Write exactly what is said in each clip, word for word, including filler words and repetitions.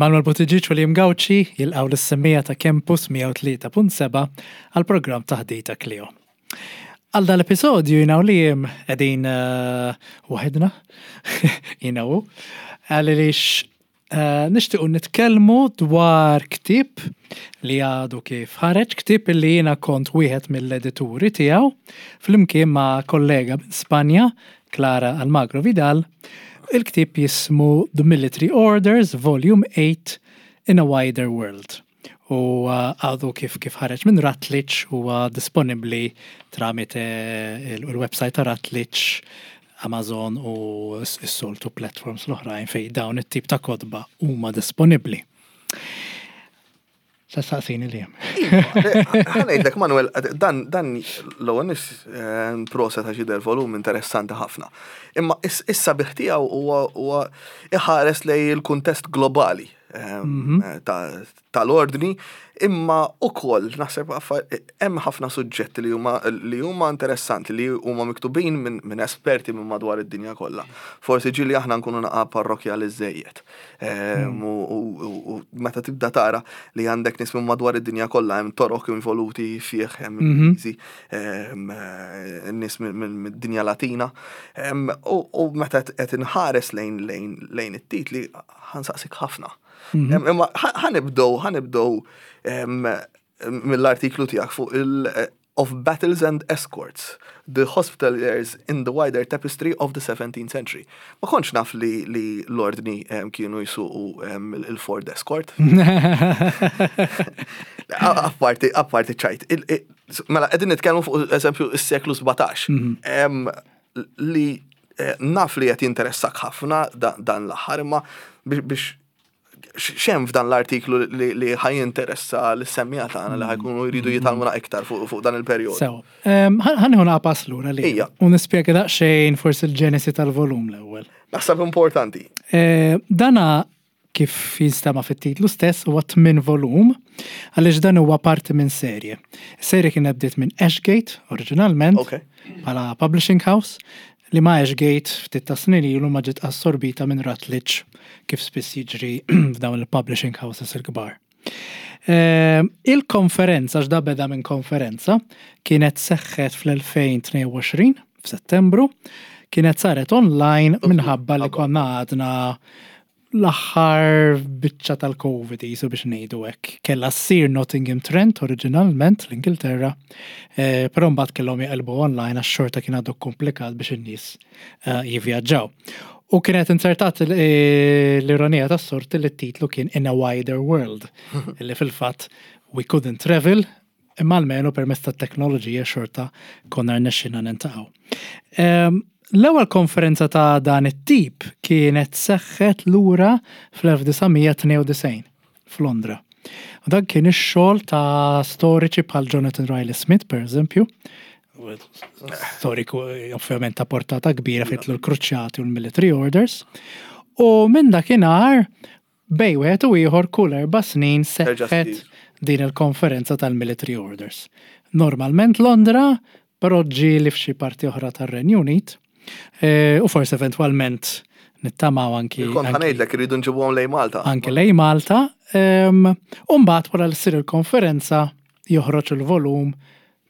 Manuel Buttigieg u Liam Gauci jilqgħu lis-semmiegħa ta' Campus mija u tlieta punt sebgħa għal programm Taħdita Klio. Għal dal-episodju jiena u Liam qegħdin uh, waħedna, jiena u, għaliex uh, nixtiequ nitkellmu dwar ktieb li għadu kif ħareġ, ktieb li jiena kont wieħed mill-edituri tiegħu, flimkien ma' kollega minn Spanja, Clara Almagro Vidal. Il-ktieb jismu The Military Orders, Volume eight, In a Wider World. U uh, għadu kif kif ħareġ minn Routledge, huwa disponibli tramite il-website ta' Routledge, Amazon u s-soltu platforms l-oħrajn fej dawn it-tip ta' kotba huma disponibli. Sa saqsini li Ħa ngħidlek, Manuel, dan dan l-ewwel nis proset għax jidher volum interessanti ħafna. Imma is-sabiħ tiegħu huwa iħares lej il-kuntest globali mhm. tal-ordni, imma ukoll naħseb hemm ħafna suġġetti li huma li huma interessanti, li huma miktubin minn esperti minn madwar id-dinja kollha. Forsi ġieli aħna nkunu naqa parrokjali żejjed. Mhm. U meta tibda tara li għandek nies minn madwar id-dinja kollha, hemm Torok involuti fih, hemm mhm. Ingliżi, nies mid-dinja Latina. U meta qed inħares lejn lejn it-titli, ħa nsaqsik ħafna. Mhm. Imma ħa nibdew, ħa nibdew mill-artiklu tiegħek fuq il- Of Battles and Escorts, The Hospitallers in the Wider Tapestry of the seventeenth Century. Ma kontx naf li, li l-ordni kienu jisuqu il-Ford Escort. Apparti, apparti ċajt. Mela, qegħdin nitkellmu fuq eżempju is-seklu sbatax. Mhm. Li eh, naf li qed jinteressak ħafna dan l-aħħar, imma biex x'hemm f'dan l-artiklu li, li ħa jinteressa lis-semmiegħa tagħna li ħa jkunu jridu jitgħallmuna iktar fuq fuq dan il-perjodu? Sew, ħa nieħu pass lura li. Ija. U nispjega daqsxejn forsi l-ġenesi tal-volum l-ewwel. Naħseb importanti. Eh, Dana kif jinstema fit-titlu stess huwa tmien volum, għaliex dan huwa parti minn serje. Serje kienet bdiet minn Ashgate oriġinalment Ok. bħala publishing house, li ma Ashgate ftit ta' snin ilu ma ġiet assorbita minn Routledge, kif spiss jiġri f'dawn il-publishing houses il-kbar. Eh, Il-konferenza, x'da beda minn konferenza, kienet seħħet fl-elfejn u tnejn u għoxrin f'Settembru, kienet saret online minħabba li konna għadna l-aħħar biċċa tal-Covid jisu biex ngħidu hekk. Kella ssir Nottingham Trent oriġinalment l-Ingilterra, eh, però mbagħad kellhom jaqilbu online għax xorta kien għadu komplikat biex in-nies eh, jivvjaġġaw. U kienet insertat l- eh, l-ironija tas-sorti li t-titlu kien In a Wider World, illi fil-fatt we couldn't travel, imma almenu permezz tat-teknoloġija xorta konna rnexxina niltaqgħu. Em, L-ewwel konferenza ta' dan it-tip kienet seħħet lura fl-elf disa' mija tnejn u disgħin f'Londra. U dan kien ix-xogħol ta' storiċi bħal Jonathan Riley Smith, per eżempju, storiku eh, ovvjament ta' portata kbira fejn l-Kruċjati u l-Military Orders. U minn dakinhar bejn wieħed u ieħor kull erba' snin Terġa' seħħet ssir. din il-konferenza tal-Military Orders. Normalment Londra, però ġieli f'xi parti oħra tar-Renju Unit, eh, u forsi eventwalment nittamaw anki Kont anki- ħa ngħidlek irridu nġibuhom lejn Malta. anke lejn Malta. em, U mbagħad wara li ssir il-konferenza joħroġ il-volum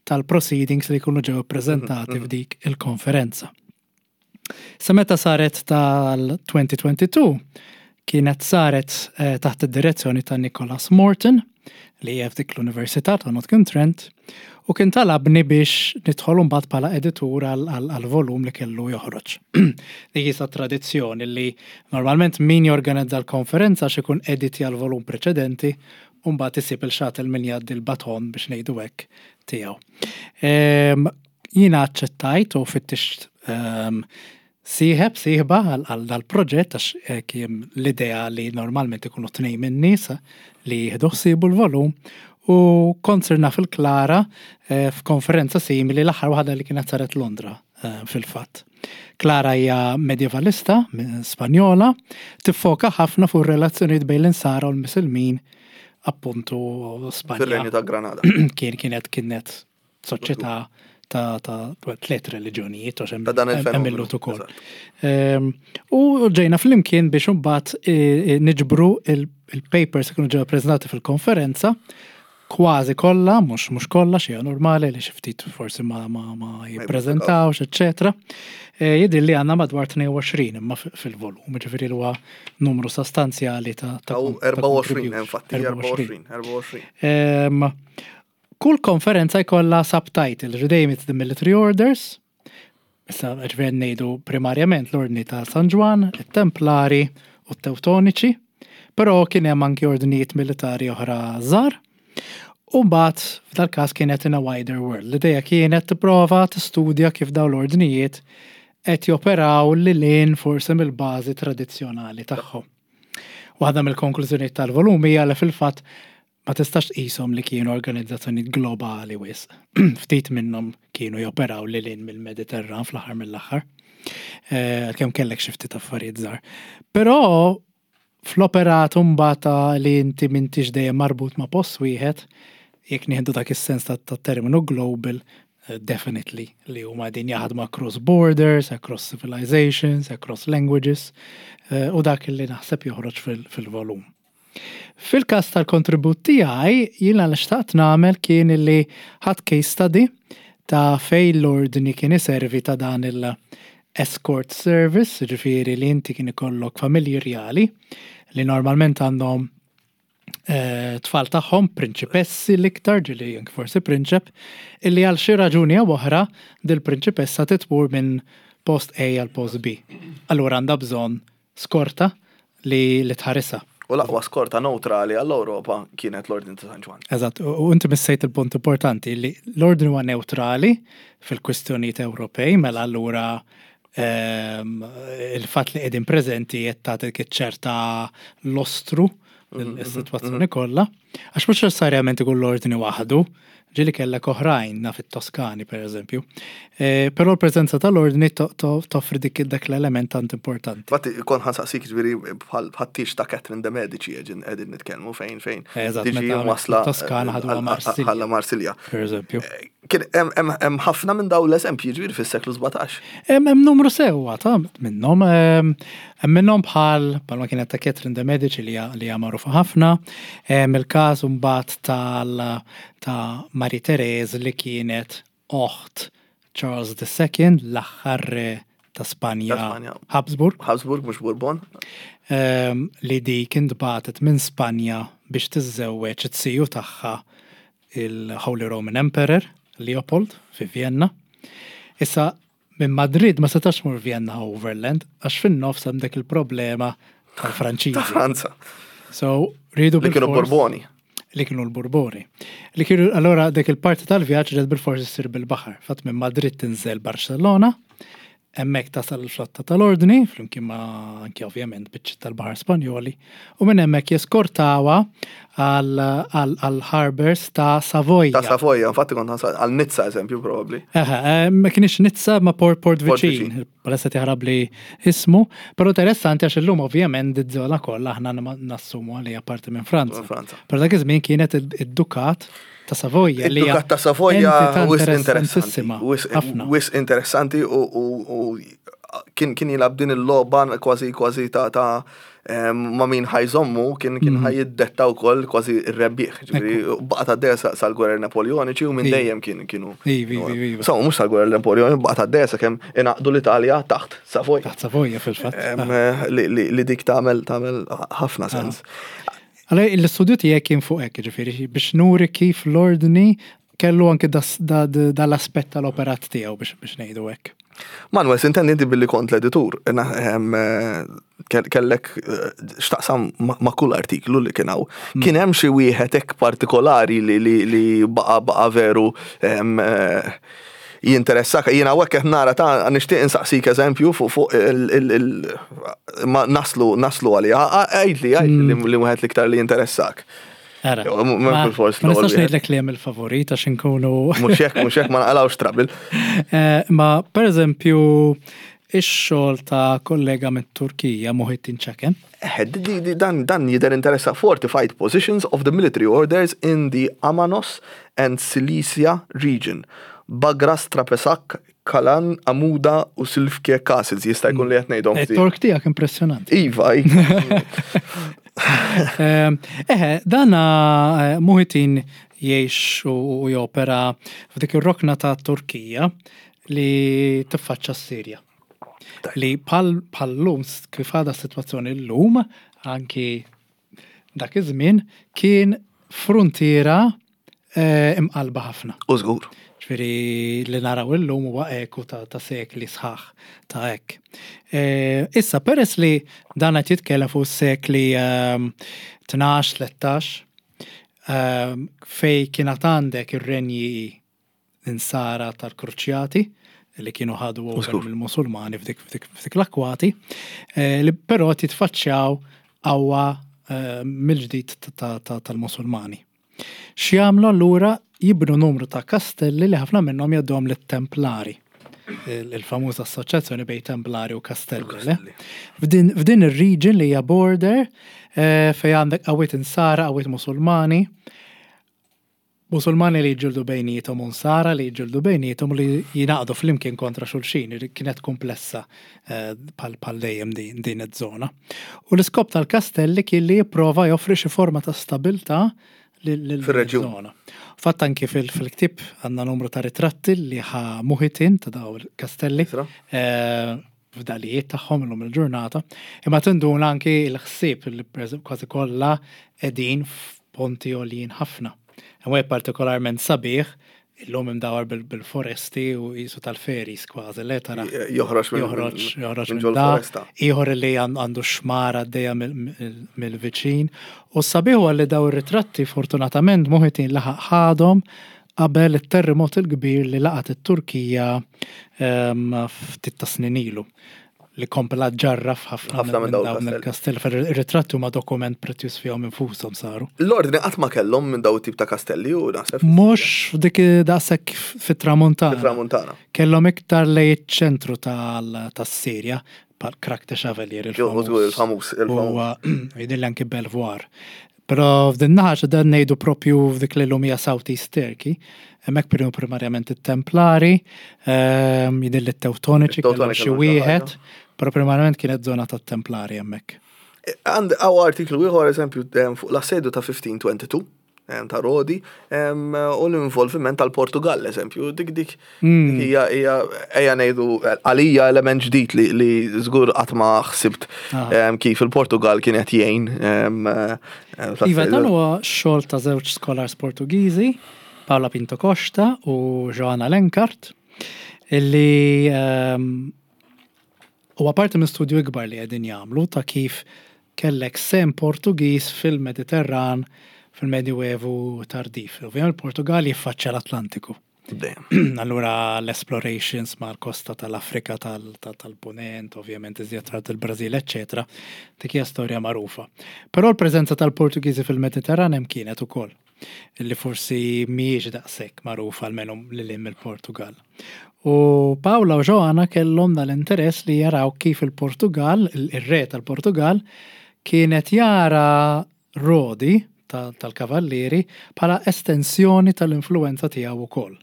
tal-proceedings li jkunu ġew ippreżentati f'dik il-konferenza. Sa meta saret tal-elfejn u tnejn u għoxrin kienet saret eh, taħt id-direzzjoni ta' Nicholas Morton, li hija f'dik l-Università ta' Nottingham Trent, u kien talabni biex nidħol mbagħad bħala editur għal-volum li kellu joħroġ. Dik jisa tradizzjoni li normalment min jorganizza l-konferenza x'ikun editja l-volum preċedenti u mbagħad isib il-xatel min jgħaddi l-baton, biex ngħidu hekk, tiegħu. Em, Jiena aċċettajt u fittixt em, sieħeb, sieħba għal għal dal-proġett għax eh, kien l-idea li normalment ikunu tnejn minn nies li jieħdu ħsiebu l-volum, u kont sirna fil-Klara eh, f'konferenza simili, l-aħħar waħda li kienet saret Londra eh, fil-fatt. Klara hija medievalista minn Spanjola, tiffoka ħafna fuq relazzjonijiet bejn l-Insara u l-Misilmin, appuntu Spanja Fir-Renju ta' Granada. kien kienet kienet soċjetà ta' ta' tliet reliġjonijiet, għax hemm Ta' dan hemm il-fenomenu, il-Lhud ukoll. Eżatt. Ehm, U ġejna flimkien biex imbagħad eh, eh, niġbru il- il-papers li kienu ġew prezentati fil-konferenza, kważi kollha, mhux mhux kollha, xi normali li xi ftit forsi ma ma ma jippreżentawx, eċċetera. Eh, Jidhir li għandna madwar tnejn u għoxrin imma fi- fil-volum, ġifieri li huwa numru sostanzjali ta' ta' Aw kon- ta' erbgħa u għoxrin, contribution. Infatti, erbgħa u għoxrin, erbgħa u għoxrin. Ehm, Kull konferenza jkollha subtitle, ġdejjem it's the military orders, issa ġifieri ngħidu primarjament l-ordni ta' San Ġwann, it-Templari u t-Teutoniċi, però kien hemm anki ordnijiet militari oħra żgħar. U mbagħad f'dal każ kienet in a wider world. L-idea kienet tipprova tistudja kif dawn l-ordnijiet qed joperaw lil hinn forsi mill-bażi tradizzjonali tagħhom. Waħda mill-konklużjonijiet tal-volum hija li fil-fatt ma tistax tqishom li kienu organizzazzjonijiet globali wisq. Ftit minnhom kienu joperaw lil hinn mill-Mediterran fl-aħħar mill-aħħar. Eh, Kemm kellek xi ftit affarijiet żgħar. Però fl-operat mbagħad li inti m'intix dejjem marbut ma' post wieħed, jekk nieħdu dak is-sens ta' ta' terminu global, eh, definitely li huma din jaħdmu across borders, across civilizations, across languages, eh, u dak li naħseb joħroġ fil- fil-volum. Fil-każ tal-kontribut tiegħi, jiena li xtaqt nagħmel kien illi ħadt case study ta' fej l-ordni kien iservi ta' dan il-escort service, ġifieri li inti kien ikollok familji rjali li normalment għandhom eh, tfal tagħhom, prinċipessi l-iktar, ġieli anke forsi prinċep, illi għal xi raġuni jew oħra dil-prinċipessa titmur minn post A għal post B. Allura għandha bżonn skorta li, li tħarisha. U l-aqwa skorta neutrali għall-Ewropa kienet l-Ordni ta' San Ġwann. Eżatt, u u inti missejt il-punt importanti li l-ordni huwa neutrali fil-kwistjonijiet Ewropej, mela allura ehm, il-fatt li qegħdin preżenti qed tagħti ċerta lostru is-sitwazzjoni kollha. Għax mhux neċessarjament ikun l-ordni waħdu, ġieli kellek oħrajn naf it-Toskani per eżempju. Eh, Però l-preżenza tal-ordni to- to- toffri dik dak l-element tant importanti. Infatti, kont ħa nsaqsik, ġifieri bħal tieġ ta' Catherine de Medici qegħdin qegħdin nitkellmu fejn fejn. Eżatt, tiġi meta wasla Toskana ħaduha Marsilja. Ħalla Marsilja. Per eżempju. Kien hemm- hemm hemm ħafna minn dawn l-eżempji, ġifieri, fis-seklu sbatax. Hemm hemm numru sewwa ta' minnhom, ehm, hemm minnhom bħal bħalma kienet ta' Catherine de Medici li hija li hija magħrufa ħafna, hemm il-każ mbagħad tal ta' Marie Therese li kienet oħt Charles the Second, l-aħħar re ta' Spanja, Ta' Spanja. Habsburg, Habsburg mhux Bourbon. ehm, li dik intbagħtet minn Spanja biex tiżżewweġ it-siju tagħha, il-Holy Roman Emperor Leopold, fi Vienna. Issa minn Madrid ma setax mur Vienna overland għax fin-nofs hemm dik il-problema tal-Franċiżi. Ta' Franza. So rridu Li kienu bil-fors- Borboni. Li kienu l-Borboni. Li kienu allora dik il-parti tal-vjaġġ ġed bil-forsi ssir bil-baħar. Fatt minn Madrid tinżel Barcellona, hemmhekk tasal il-flotta tal-ordni, flimkien ma' anki ovvjament biċċi tal-baħar Spanjoli, u minn hemmhekk jeskortawha għal harbors ta' Savoja. Ta' Savoja, infatti kont ħa nsaqsik għal Nizza eżempju probabbli. Eħe, eh, ma kienx Nizza ma port port Port viċin, viċin. palessa tiħrab li ismu, però interessanti għax illum ovvjament id-żona kollha aħna nassumu li hija parti minn Franza. Minn Franza. Però dak iż-żmien kienet id-Dukat ta' Savoja li hija Id-Dukat ta' Savoja entità wisq interessanti. interessantissima, Wisq ħafna. Wisq interessanti u u- u kien kien jilgħab din il-logħba kważi kważi ta' ta' em, ma' min ħa jżommu kien kien Mhm. ħa jiddetta wkoll kważi r-rebbieħ. Ġifieri baqgħet għaddejja sa- sal-gwerer Napoleoniċi u minn Iva. dejjem kien kienu. Iva, iva, iva. So, mhux sal-gwerer Napoleoniċi, baqgħet għaddejja sakemm ingħaqdu l-Italja taħt Savoja. Taħt Savoja fil-fatt. Em, eh, Li li- li dik tagħmel tagħmel ħafna sens. Allora, l-istudju tiegħek kien fuq hekk, ġifieri biex nuri kif l-ordni kellu anke das- da- da- dal-aspett tal-operat tiegħu biex biex ngħidu hekk. Manuel, sintendi inti billi kont l-editur, na- em, eh, kell- kellek eh, x'taqsam ma ma' kull artiklu li kien hawn. Mm. Kien hemm xi wieħed hekk partikolari li li li baqa baqa veru em, eh, jinteressak? Jiena hawnhekk qed nara ta' nixtieq insaqsik eżempju fuq fuq il- il- il- ma naslu naslu għalija. Għidli, għidli Mm. li li wieħed l-iktar li jinteressak. Ara, Jo, mu- ma mhux bil-fors ma l-ewwel nistax wieħed. ngħidlek li hemm il-favorit għax inkunu Mhux hekk, mhux hekk, ma naqalgħux trouble. Eh, Ma per eżempju ix-xogħol ta' kollega mit-Turkija, Muhittin Çeken. Eh, di- di- dan, dan jidher interessa, Fortified Positions of the Military Orders in the Amanos and Cilicia Region. Bagras, Trapesak, Kalan, Amuda u Silfke Castles, jista' jkun li qed ngħidhom. It-Tork tiegħek impressjonanti. Iva, iva. Ehm, eħe, dana eh, Muhittin jgħix u u jopera f'dik ir-rokna ta' Turkija li tiffaċċa s-Sirja. Li bħal bħal-lum, kif għadha s-sitwazzjoni l-lum, anki dak iż-żmien, kien frontiera eh, imqalba ħafna. U żgur. Ġifieri li naraw illum huwa eku ta', ta' sekli sħaħ ta' hekk. E, issa, peress li dan qed jitkellem fuq sekli ehm, tnax, tlettax, ehm, fej kienet għandek ir-renji insara tal-Kruċjati li kienu ħadu over Żgur. mill-Musulmani f'dik, f'dik, f'dik l-akwati, eh, li però titfaċċjaw qawwa eh, mill-ġdid ta- ta- tal-Musulmani. X'jagħmlu allura? Jibnu numru ta' kastelli li ħafna minnhom jgħadduhom lit-Templari. Il- Il-famuża assoċjazzjoni bejn Templari u Kastelli. Le? F'din f'din ir-region li hija border eh, fej għandek qawwiet insara, qawwiet Musulmani, Musulmani li jġildu bejnietom u nsara li jġildu bejnietom u li jingħaqdu flimkien kontra xulxin, li kienet komplessa eh, bħal bħal dejjem din, din iż-żona. U l-iskop tal-kastelli kien li jipprova joffri xi forma ta' stabilta lil Fir-reġjun. żona. Fatt anki fil- fil-ktib għandna numru ta' ritratti li ħa Muhittin ta' daw il-kastelli Isra? eh, f'dalijiet tagħhom illum il-ġurnata. Imma tinduna anki l-ħsieb li per eżempju kważi kollha qegħdin f'ponti għoljin ħafna. Hemm wieħed partikolarment sabiħ illum imdawar bil- bil-foresti u jisu tal-fairies kważi, le tara. Joħroġ minn Joħroġ, joħroġ minn minn ġol da, foresta. ieħor li għan- għandu xmara għaddejja mill- mill-viċin. U sabiħ huwa li daw ir-ritratti fortunatament Muhittin laħaq ħadhom qabel it-terremot il-kbir li laqat it-Turkija ehm, ftit ta' snin ilu li kompla ġarraf ħafna Ħafna minn minn dawn dawn il-kastelli. il-kastell. Ir-ritratti huma dokument prezzjuż fihom infushom saru. L-ordni qatt ma kellhom minn daw tip ta' kastelli u naħseb. Mhux f'dik daqshekk fit-Tramuntana. Fit-Tramuntana. Kellhom iktar lejn iċ-ċentru tal- tas-Sirja, bħal Krak de Chevalier Jo, żgur, il-famuż, il-famuż. U jidhirli anki Belvoir. Però f'din naħa dan ngħidu propju f'dik li llum hija South East Turkey, hemmhekk kienu primarjament it-Templari, ehm, jidhirli t-Teutoniċi kellhom It-Teutoniċi xi kellhom xi wieħed, ħaġa. però primarjament kienet żona tat-Templari hemmhekk. Għand għaw artiklu ieħor eżempju em, fuq l-assedju ta' fifteen twenty-two em, ta' Rodi em, u l-involviment tal-Portugal, eżempju, dik dik dik hija hija ejja ngħidu għalija element ġdid li li żgur qatt ma ħsibt Ah. em, kif il-Portugal kien qed jgħin em, eh, fl-assedju. Iva, dan huwa xogħol ta' żewġ scholars Portugiżi, Paula Pinto Costa u Joana Lenkart, illi ehm, huwa parti minn studju ikbar li qegħdin jagħmlu ta' kif kellek sehem Portugiż fil-Mediterran fil-Medjuevu tardiv. Ovvjament il-Portugal jiffaċċja l-Atlantiku. Dejjem. Allura l-explorations mal-kosta tal-Afrika tal- tal- tal-Punent, ovvjament iżjed tard il-Brażil, eccetera. Dik hija storja magħrufa. Però l-preżenza tal-Portugiżi fil-Mediterran hemm kienet ukoll, illi forsi mhijiex daqshekk magħrufa almenu lil hinn mill-Portugal. U Paula u Joanna kellhom dal-interess li jaraw kif il-Portugal, il-re tal-Portugal, kienet jara Rodi ta- tal-Kavallieri bħala estensjoni tal-influenza tiegħu ukoll.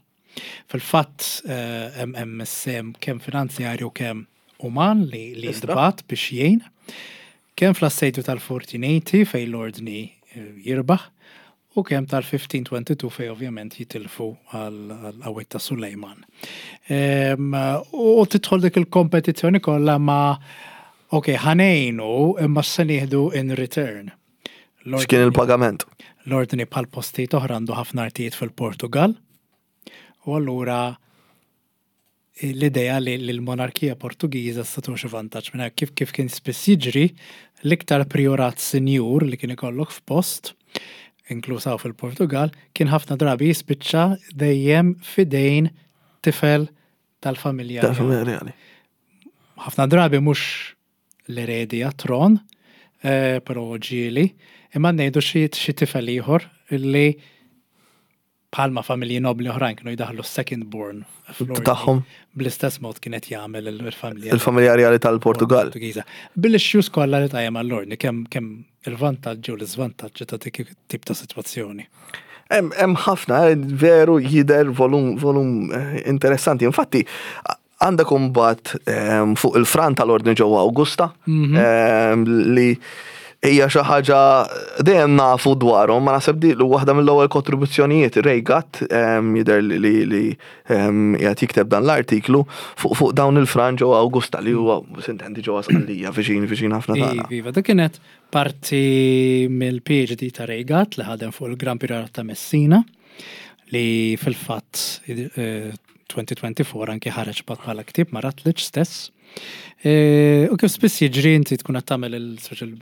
Fil-fatt eh, hemm hemm sehem kemm finanzjarju kemm uman li li Istra. jintbagħat biex jgħin, kemm fl-assedju tal-fourteen eighty fej l-ordni eh, jirbaħ u kemm tal-fifteen twenty-two fej ovvjament jitilfu għal qawwiet ta' Sulejman. Em, U tidħol dik il-kompetizzjoni kollha ma' ok, ħa ngħinu imma se nieħdu in return? X'kien il-pagament? L-ordni bħal postijiet oħra għandu ħafna artijiet fil-Portugal. U allura l-idea li l-monarkija Portugiża se xi vantaġġ minn hekk. kif kif kien spiss jiġri, l-iktar priorat sinjur li kien ikollok f'post, inkluż hawn fil-Portugal, kien ħafna drabi jispiċċa dejjem fidejn tifel tal-familja. Tal-familja reali. Ħafna drabi mhux l-eredi għat-tron, eh, però ġieli, imma ngħidu xi xi tifel ieħor illi bħalma familji nobli oħrajn kienu jdaħlu second born fl-ordni. Tagħhom. Bl-istess mod kienet jagħmel il-familja Il-familja reali tal-Portugal. Portugiża. Bil-issues kollha li tajjem għall-ordni, kemm kemm il-vantaġġi u l-iżvantaġġi ta' dik tip ta' sitwazzjoni. Hemm ħafna, eh, veru jidher volum volum eh, interessanti. Infatti, għandek imbagħad ehm, fuq il-fran tal-ordni ġewwa Augusta Mhm. ehm, li hija xi ħaġa dejjem nafu dwarhom, ma naħseb di li waħda mill-ewwel kontribuzzjonijiet Ray Gatt ehm, jidher li li li ehm, qiegħed jikteb dan l-artiklu fuq fuq dawn il-fran ġewwa Augusta li huwa sintendi ġewwa Sqallija viċin viċin ħafna tagħna. Iva, dak kienet parti mill-P H D ta' Ray Gatt li ħadem fuq il-Gran Priorat ta' Messina li fil-fatt eh, elfejn u erbgħa u għoxrin anki ħareġ bat bħala ktieb ma' Routledge stess. Eh, U kif spiss jiġri, inti tkun qed tagħmel il-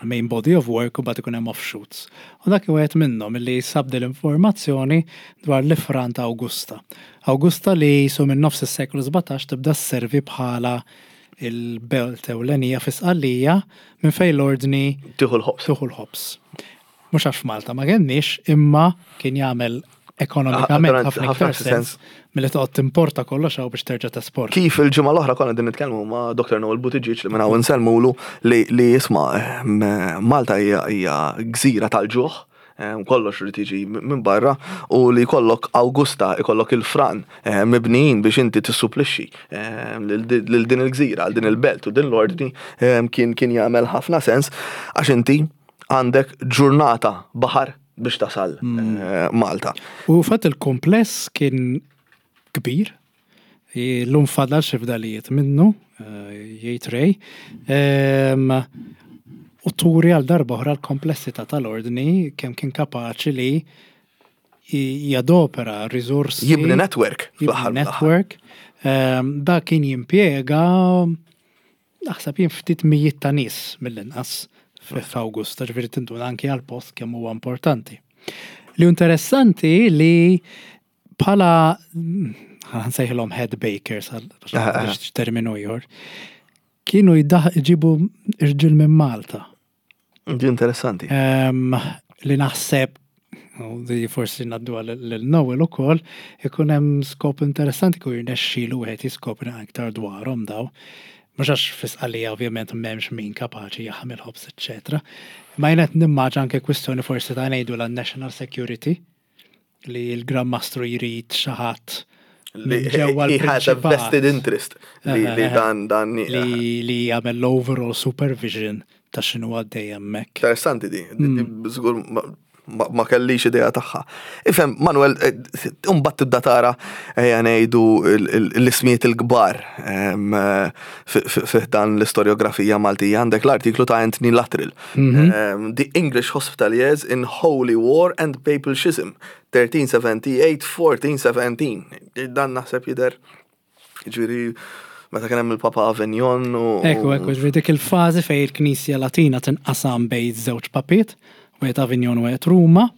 main body of work u mbagħad ikun hemm offshoots. U dak wieħed minnhom li sab l-informazzjoni dwar l-ifran ta' Augusta. Augusta li su minn nofs is-seklu sbatax tibda sservi bħala il-belt ewlenija fi Sqallija minn fejn l-ordni tieħu l-ħobż. Tieħu l-ħobż. Mhux għax f'Malta ma kenniex, imma kien jagħmel ekonomikament Ah, ħafna iktar sens milli toqgħod timporta kollox hawn biex terġa' tesporta. Kif il-ġimgħa l-oħra konna din nitkellmu ma' Doktor Noel Buttigieg li minn hawn insellmulu li li jisma' ehm, Malta hija hija gżira tal-ġuħ, ehm, kollox irid jiġi minn barra u li jkollok Augusta, ikollok il-fran ehm, mibnijin biex inti tissupplixxi ehm, lil lil din il-gżira, għal din il-belt u din l-ordni ehm, kien kien jagħmel ħafna sens għax inti għandek ġurnata baħar biex tasal eh, Malta. U fatt il-kompless kien kbir, l-lum fadal xi fdalijiet minnu, eh, jgħid Ray, Ehm, u turi għal darba oħra l-komplessità tal-ordni, kemm kien kapaċi li j- jadopera risorsi. Jibni network jibni fl-aħħar mill-aħħar. network. Ehm, Da kien jimpjega naħseb jien ftit mijiet ta' nies mill-inqas f'Awgusta, ġifieri tinduna anki għal-post kemm huwa importanti. Li interessanti li bħala ħa nsejħilhom head bakers għal- Ah, ah. biex terminu ieħor, kienu jiddaħ iġibu irġiel minn Malta. Di interessanti. Em, li naħseb u di forsi ngħaddu lil Noel ukoll, ikun hemm skop interessanti ku jirnexxielu wieħed jiskopri aktar dwarhom daw. Mhux għax fi Sqallija ovvjament m'hemmx min kapaċi jaħmel ħobż, eċċetera. Ma jien qed nimmaġina anke kwistjoni forsi ta' ngħidu la national security, li l-Gran Mastru jrid xi ħadd Li minn ġewwa he has a l-Prinċipat vested interest li li dan dan li li jagħmel l-overall supervision ta' x'inhu għaddej hemmhekk. Interessanti di, di- di żgur ma- ma ma kellix idea tagħha. Ifhem, Manuel, imbagħad tibda tara, ejja ngħidu, il- il- l-ismijiet il-kbar em, eh, fi- fi fi dan l-istoriografija Maltija. Għandek l-artiklu ta' Anthony Luttrell. Em, The English Hospitaliers in Holy War and Papal Schism, tlettix sebgħa u tmenin-erbatax sittax. Dan naħseb jidher ġifieri meta kien hemm il-Papa Avignon u Ekku, ekku, ġifieri dik il-fażi fej il-Knisja Latina tinqasam bejn żewġ papiet, wieħed Avignon u wieħed Ruma,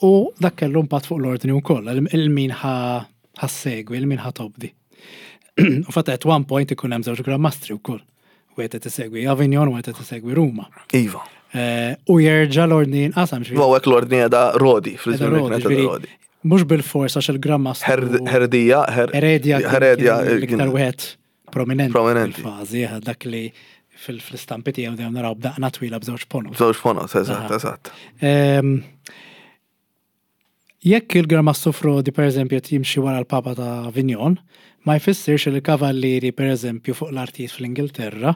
u dak kellu impatt fuq l-ordni wkoll, il-min ħa ssegwi, il-min ħa tobdi. U fatt at one point ikun hemm żewġ Gran Mastri wkoll. Wieħed qed isegwi Avignon u wieħed qed isegwi Ruma. Iva. Eh, U jerġa' l-ordni jinqasam, ġifieri. U hekk l-ordni għada Rodi, fil-żmien li Rodi, kienet ġifieri, Rodi. mhux bil-fors għax il-Gran Mastru Her- Herdija, her- Heredia kien- Heredia, kien l-iktar wieħed prominenti Prominenti. fil-fażi, eh, dak li fil- fl-istampi tiegħu dejjem naraw b'daqna twila b'żewġ ponot. Żewġ ponot, eżatt, Aha. eżatt. Ehm, Jekk il-Gran Mastru Frodi per eżempju qed jimxi wara l-Papa ta' Avignon, ma jfissirx li l-kavallieri per eżempju fuq l-artijiet fl-Ingilterra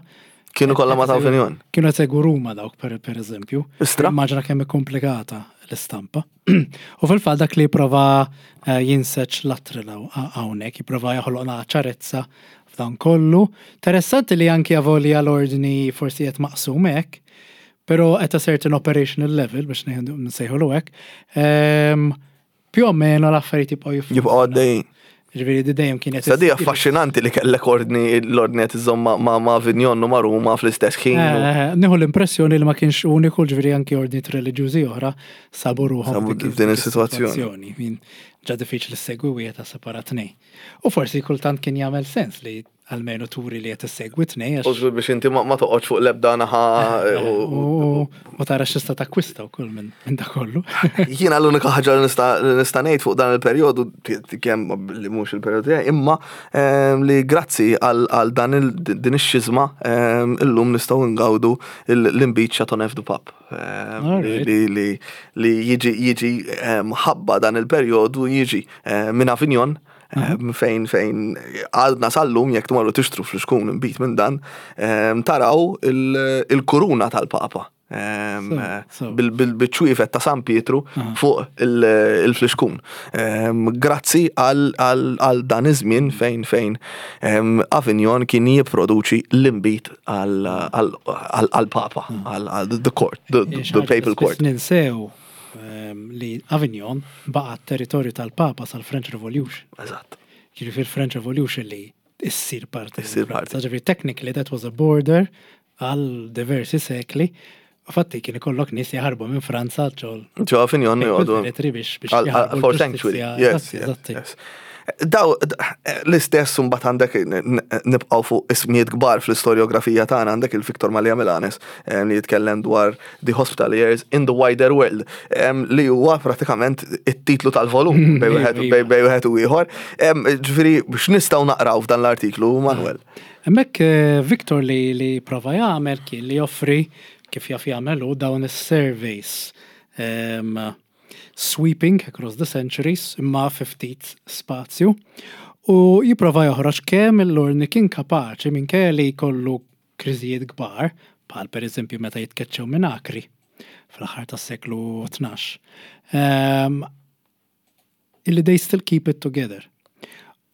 Kienu kollha ma ta' Avignon. kienu qed segwu Ruma dawk per, per eżempju. Istra? Immaġina kemm hi komplikata l-istampa. U fil-fatt dak li jipprova eh, jinseġ Luttrell hawnhekk, jipprova joħloqna ċarezza f'dan kollu. Interessanti li anki avolja l-ordni forsi qed maqsum hekk, però at a certain operational level biex ngħidu nsejħulu hekk, ehm, più o meno l-affarijiet jibqgħu jiffunzjonaw. Jibqgħu għaddejjin. Ġifieri di dejjem kienet Sa di affaxxinanti li kellek ordni l-ordni qed iżomm ma- ma' ma' Avignon u ma' Ruma fl-istess ħin. u- Eh, Nieħu l-impressjoni li ma kienx uniku, ġifieri anki ordnijiet reliġjużi oħra sabu ruħhom Sabu f'dik f'din is-sitwazzjoni. is-sitwazzjoni. Min ġa diffiċli ssegwi wieħed ta' separat tnejn. U forsi kultant kien jagħmel sens li Almenu turi li qed issegwi tnej. U żgur biex inti ma toqgħodx fuq l-ebda naħa. U tara x'tista' takkwista wkoll minn da kollu. Jiena l-unika ħaġa li nista' ngħid fuq dan il-perjodu, kemm li mhux il-perjodu tiegħi, imma ehm, li grazzi għal dan din ix-xiżma ehm, illum nistgħu ngawdu l-inbid Châteauneuf du Pape. Ehm, li jiġi jiġi ħabba dan il-perjodu, jiġi minn Avignon, fejn fejn għadna sal-lum jekk tmorru tixtru fl-xkun inbid minn dan, taraw il-kuruna tal-Papa bil-ċwievet ta' San Pietru fuq il-flixkun. Grazzi għal dan iż-żmien fejn fejn Avignon kien jipproduċi l-inbid għal-Papa, għal the court, the papal court. Ninsew li Avignon baqa territorju tal-Papa sal-French Revolution. Eżatt. Ġifieri French Revolution li issir parti. Issir parti. Ġifieri technically that was a border għal diversi sekli. Fatti kien ikollok nies jaħarbu minn Franza ġol. Ġo Avignon joqogħdu. Biex biex for sanctuary. Yes, yes. Daw, l-istess mbagħad għandek, nibqgħu fuq ismijiet kbar fl-istoriografija tagħna, għandek il-Victor Mallia Milanes li jitkellem dwar The Hospitaliers in the Wider World, li huwa pratikament it-titlu tal-volum bejn wieħed u ieħor. Ġifieri biex nistgħu naqraw f'dan l-artiklu, Manuel? Hemmhekk eh, Victor li li prova jagħmel kien li joffri, kif jaf jagħmel hu, dawn is-surveys sweeping across the centuries imma fi ftit spazju u jipprova joħroġ kemm l-ordni kien kapaċi, minkejja li jkollu kriżijiet kbar, bħal per eżempju meta jitkeċċew minn Akri fl-aħħar tas-seklu tnax. Um, illi they still keep it together.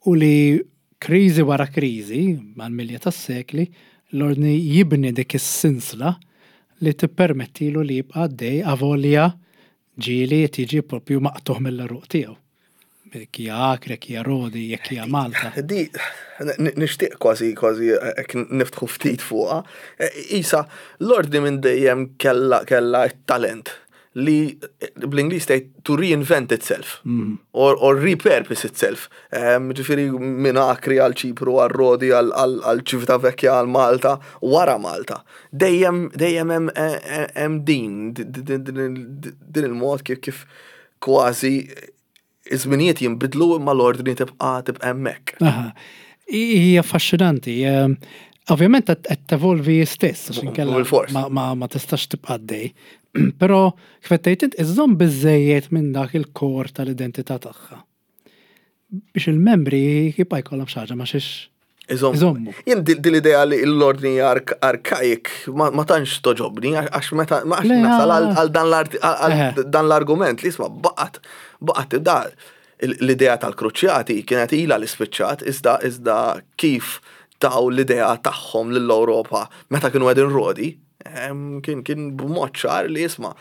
U li kriżi wara kriżi, mal-milja tas-sekli, l-ordni jibni dik is-sinsla li tippermettilu li jibqa' għaddej avolja ġieli tiġi propju maqtugħ mill-għeruq tiegħu. Jekk hija Akri, jekk hija Rodi, jekk hija Malta. Di, nixtieq kważi kważi hekk niftħu ftit fuqha. Isa, l-ordni minn dejjem kella kella talent li bl-Ingliż tgħid to reinvent itself mm. or, or repurpose itself. Ġifieri minn Akri għal Ċipru, għal Rodi, għal Ċivitavecchia, għal Malta, wara Malta. Dejjem dejjem hemm din din il-mod kif kif kważi iż-żminijiet jinbidlu imma l-ordni tibqa' tibqa' hemmhekk. Hija affaxxinanti. Ovvjament qed tevolvi stess, għax inkella ma, ma tistax tibqa' għaddej. Però kif qed tgħid int, iżżomm biżejjed minn dak il-core tal-identità tagħha biex il-membri jibqa' jkollhom xi ħaġa ma xiex iżommu. Jien din l-idea li l-ordni arkaik ma tantx toġobni, għax meta ma għax nasal għal dan l-argument li isma' baqgħet baqgħet da l-idea tal-kruċjati kienet ila li spiċċat, iżda iżda kif taw l-idea tagħhom lill-Ewropa meta kienu qegħdin Rodi, kien kien b'mod ċar li isma'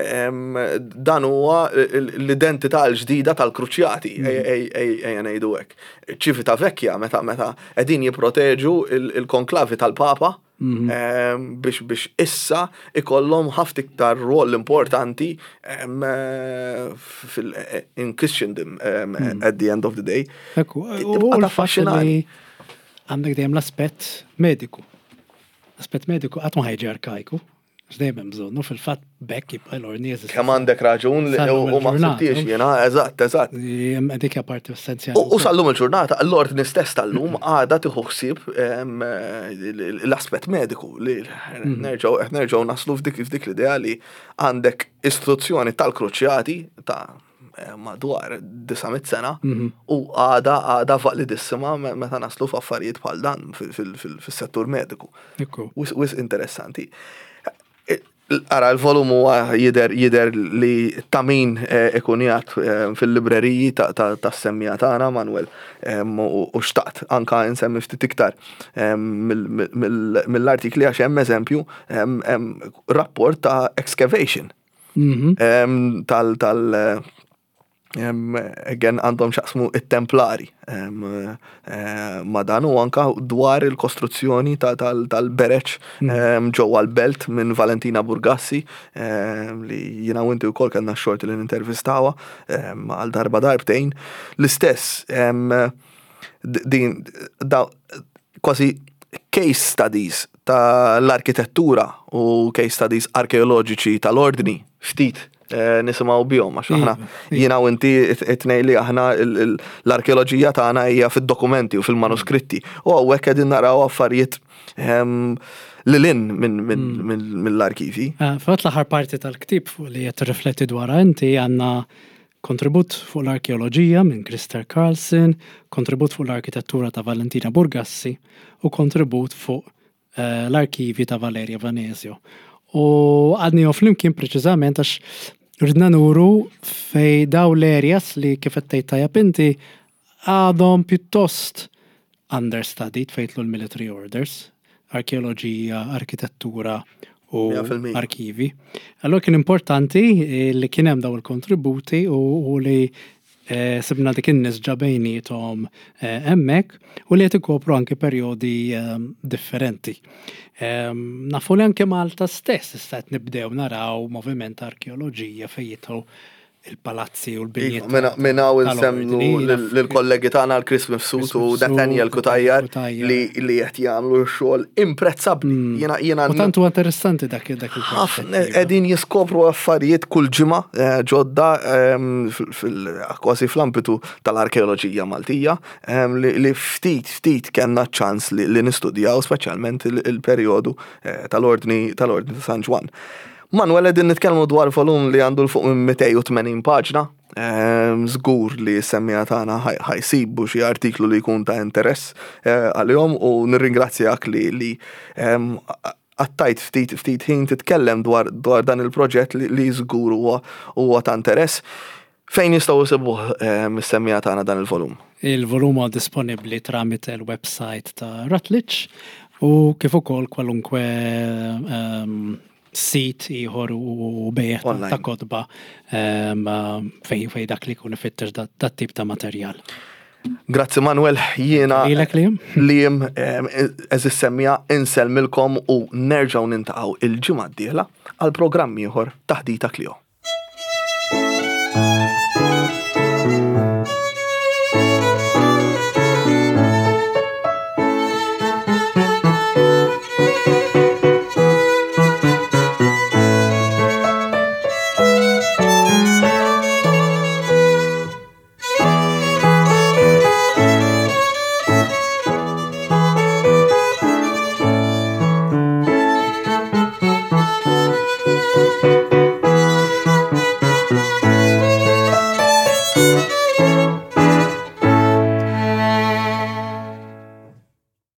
dan huwa l-identità l-ġdida tal-kruċjati, ejja ngħidu hekk. Ċivitavecchia meta meta qegħdin jipproteġu il-konklavi tal-Papa biex biex issa ikollhom ħafna iktar rol importanti in Christendom at the end of the day. Ekku, u l-fatt għandek dejjem l-aspett mediku. L-aspett mediku qatt ma ħa jiġi arkajku. Dejjem hemm bżonnu, fil-fatt bekk jibqa' l-ordni jeżisti. Kemm għandek raġun li u ma ħsibtix jiena, eżatt, eżatt. Dik hija parti essenzjali. U sal-lum il-ġurnata, l-ordni stess tal-lum għadha tieħu ħsieb l-aspett mediku li nerġgħu nerġgħu naslu f'dik f'dik l-idea li għandek istituzzjoni tal-kruċjati ta' madwar disa' mitt sena u għada għada validissima meta naslu f'affarijiet bħal dan fis-settur mediku. Wisq interessanti. Ara, l-volum huwa jidher jidher li ta' min ikun qiegħed fil-libreriji ta' semmija tagħna, Manuel, u xtaqt anka insemmi ftit iktar mill-artikli għax hemm eżempju rapport ta' excavation tal tal again għandhom x'jaqsmu it-templari ma dan u anka dwar il-kostruzzjoni tal-bereċ ġewwa l-belt minn Valentina Burgassi, li jiena u inti wkoll kellna x-xorti li nintervistawha għal darba darbtejn. L-istess din kważi case studies tal-arkitettura u case studies arkeoloġiċi tal-ordni ftit eh, nisimgħu bihom, għax aħna Iva, iva. jiena u inti it-tnejn li aħna il- il- l-arkeoloġija tagħna hija fid-dokumenti u fil-manuskritti. U hawnhekk qegħdin naraw affarijiet ehm, lil hinn minn minn- minn- mill-arkivi. Eh, Fatt l-aħħar parti tal-ktib fuq li qed tirrifletti dwarha inti, għandna kontribut fuq l-arkeoloġija minn Christer Carlson, kontribut fuq l-arkitettura ta' Valentina Burgassi u kontribut fuq eh, l-arkivi ta' Valeria Vanesio. U għadni flimkien preċiżament għax ridna nuru fej daw l-areas li, kif qed tgħid tajjeb inti, għadhom pjuttost understudied fejn jidħlu l-military orders, arkeoloġija, arkitettura u Mija fil-mija. arkivi. Allora kien importanti eh, li kien hemm daw il-kontributi u, u li eh, sibna dik in-nisġa bejniethom eh, hemmhekk u li qed ikopru anke perjodi eh, differenti. Eh, nafu li anke Malta stess issa qed nibdew naraw moviment ta' arkeoloġija fejn jidħlu il-palazzi u l-binjiet. Minna minna u nsemmu tal-ordni, naf- lill-kollegi tagħna l-Chris Mifsud u Chris Nathaniel Mifsud, Cutajar Cutajar. li li qed jagħmlu xogħol imprezzabbli. Jiena jiena U tant huwa interessanti dak dak ħafna il-perspettiva. qegħdin jiskopru affarijiet kull ġimgħa eh, ġodda ehm, fil- fil- kważi fl-ambitu tal-arkeoloġija Maltija ehm, li li ftit ftit kellna ċans li li nistudjaw, speċjalment il- il-perjodu eh, tal-ordni tal-ordni ta' San Ġwann. Manuel, qegħdin nitkellmu dwar volum li għandu 'l fuq minn mitejn u tmenin paġna. Ehm, Żgur li s-semmiegħa tagħna ħa jsibu xi artiklu li jkun ta' interess eh, għalihom u nirringrazzjak li li ehm, għaddejt ftit ftit ħin titkellem dwar dwar dan il-proġett li, li żgur huwa huwa ta' interess. Fejn jistgħu jsibuh is-semmiegħa tagħna dan il-volum? Il-volum huwa disponibbli tramite il-website ta' Routledge u kif ukoll kwalunkwe um, sit ieħor u bejgħ ta' Online. ta' kotba um, fej fej dak li jkun ifittex dat dat tip ta' materjal. Grazzi, Manuel, jiena Lilek, Liam? Liam, għeżież semmiegħa, insellmilkom u nerġgħu niltaqgħu il-ġimgħa d-dieħla għal programm ieħor, Taħdita Klio.